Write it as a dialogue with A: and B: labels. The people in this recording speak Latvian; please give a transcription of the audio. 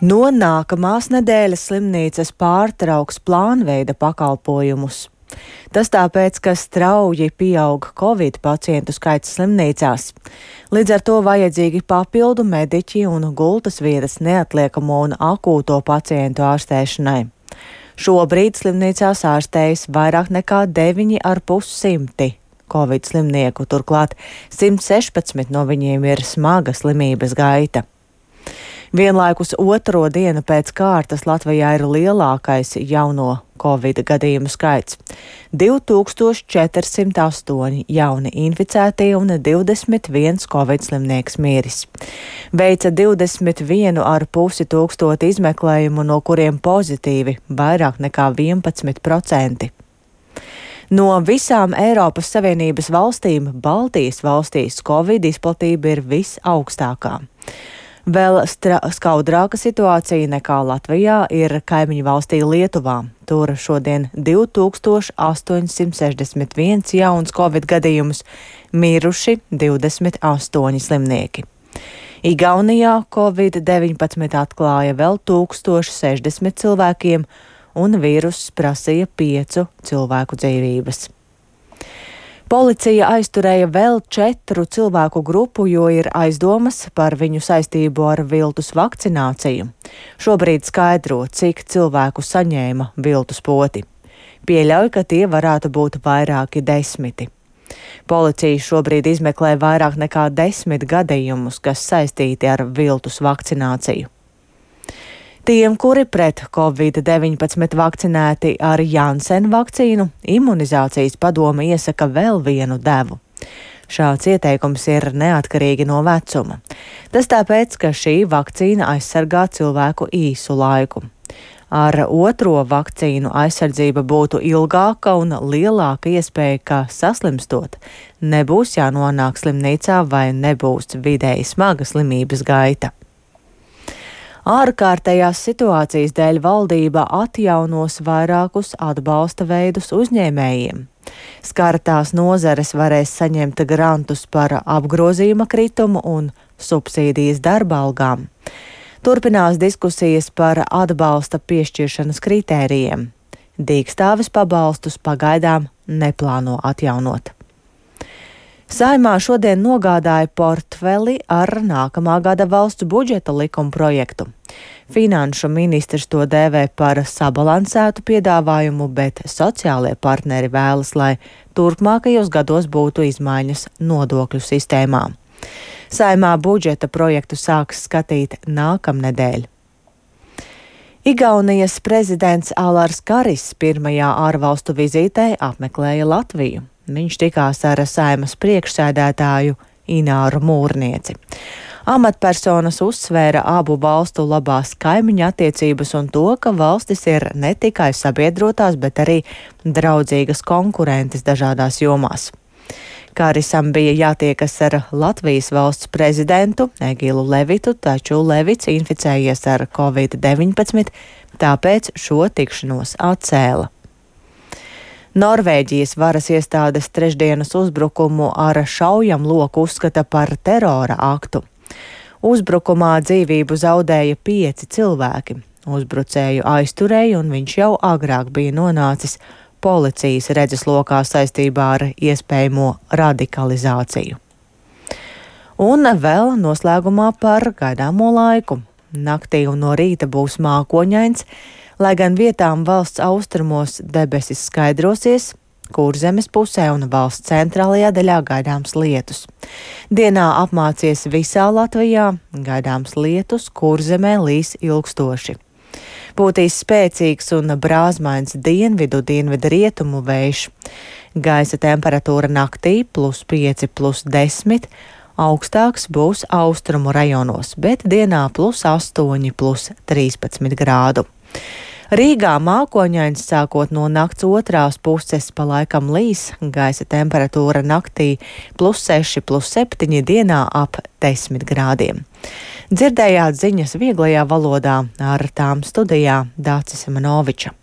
A: No nākamās nedēļas slimnīcas pārtrauks plānveida pakalpojumus. Tas tāpēc, ka strauji pieaug Covid pacientu skaits slimnīcās. Līdz ar to vajadzīgi papildu mediķi un gultas vietas neatliekamo un akūto pacientu ārstēšanai. Šobrīd slimnīcās ārstējas vairāk nekā 9,500 Covid slimnieku, turklāt 116 no viņiem ir smaga slimības gaita. Vienlaikus otro dienu pēc kārtas Latvijā ir lielākais jauno Covid gadījumu skaits - 2408 jauni inficētie un 21 Covid slimnieks miris. Veica 21,5 tūkstoti izmeklējumu, no kuriem pozitīvi vairāk nekā 11%. No visām Eiropas Savienības valstīm Baltijas valstīs Covid izplatība ir visaugstākā. Vēl skaudrāka situācija nekā Latvijā ir kaimiņu valstī Lietuvā. Tur šodien 2861 jauns Covid gadījumus, miruši 28 slimnieki. Igaunijā Covid-19 atklāja vēl 1060 cilvēkiem, un vīruss prasīja 5 cilvēku dzīvības. Policija aizturēja vēl 4 cilvēku grupu, jo ir aizdomas par viņu saistību ar viltus vakcināciju. Šobrīd skaidro, cik cilvēku saņēma viltus poti. Pieļauj, ka tie varētu būt vairāki desmiti. Policija šobrīd izmeklē vairāk nekā 10 gadījumus, kas saistīti ar viltus vakcināciju. Tiem, kuri pret Covid-19 vakcinēti ar Janssen vakcīnu, imunizācijas padome iesaka vēl vienu devu. Šāds ieteikums ir neatkarīgi no vecuma. Tas tāpēc, ka šī vakcīna aizsargā cilvēku īsu laiku. Ar otro vakcīnu aizsardzība būtu ilgāka un lielāka iespēja, ka saslimstot nebūs jānonāk slimnīcā vai nebūs vidēji smaga slimības gaita. Ārkārtējās situācijas dēļ valdība atjaunos vairākus atbalsta veidus uzņēmējiem. Skartās nozares varēs saņemt grantus par apgrozījuma kritumu un subsīdijas darba algām. Turpinās diskusijas par atbalsta piešķiršanas kritērijiem. Dīkstāves pabalstus pagaidām neplāno atjaunot. Saimā šodien nogādāja portfeli ar nākamā gada valsts budžeta likuma projektu. Finanšu ministrs to dēvē par sabalansētu piedāvājumu, bet sociālie partneri vēlas, lai turpmākajos gados būtu izmaiņas nodokļu sistēmā. Saimā budžeta projektu sāks skatīt nākamnedēļ. Igaunijas prezidents Alars Karis pirmajā ārvalstu vizītē apmeklēja Latviju. Viņš tikās ar Saimas priekšsēdētāju Ināru Mūrnieci. Amatpersonas uzsvēra abu valstu labās kaimiņu attiecības un to, ka valstis ir ne tikai sabiedrotās, bet arī draudzīgas konkurentes dažādās jomās. Karisam bija jātiekas ar Latvijas valsts prezidentu Egilu Levitu, taču Levits inficējies ar Covid-19, tāpēc šo tikšanos atcēla. Norvēģijas varas iestādes trešdienas uzbrukumu ar šaujamloku uzskata par terora aktu. Uzbrukumā dzīvību zaudēja 5 cilvēki. Uzbrucēju aizturēja, un viņš jau agrāk bija nonācis policijas redzeslokā saistībā ar iespējamo radikalizāciju. Un vēl noslēgumā par gaidāmo laiku. Naktī un no rīta būs mākoņains, lai gan vietām valsts austrumos debesis skaidrosies, Kurzemes pusē un valsts centrālajā daļā gaidāms lietus. Dienā apmācies visā Latvijā, gaidāms lietus, Kurzemē līs ilgstoši. Būtīs spēcīgs un brāzmains dienvidu rietumu vējš. Gaisa temperatūra naktī +5, +10, augstāks būs austrumu rajonos, bet dienā +8, +13 grādu. Rīgā mākoņains sākot no nakts otrās puses pa laikam līs, gaisa temperatūra naktī +6, +7, dienā ap 10 grādiem. Dzirdējāt ziņas vieglajā valodā, ar tām studijā Dācis Manoviča.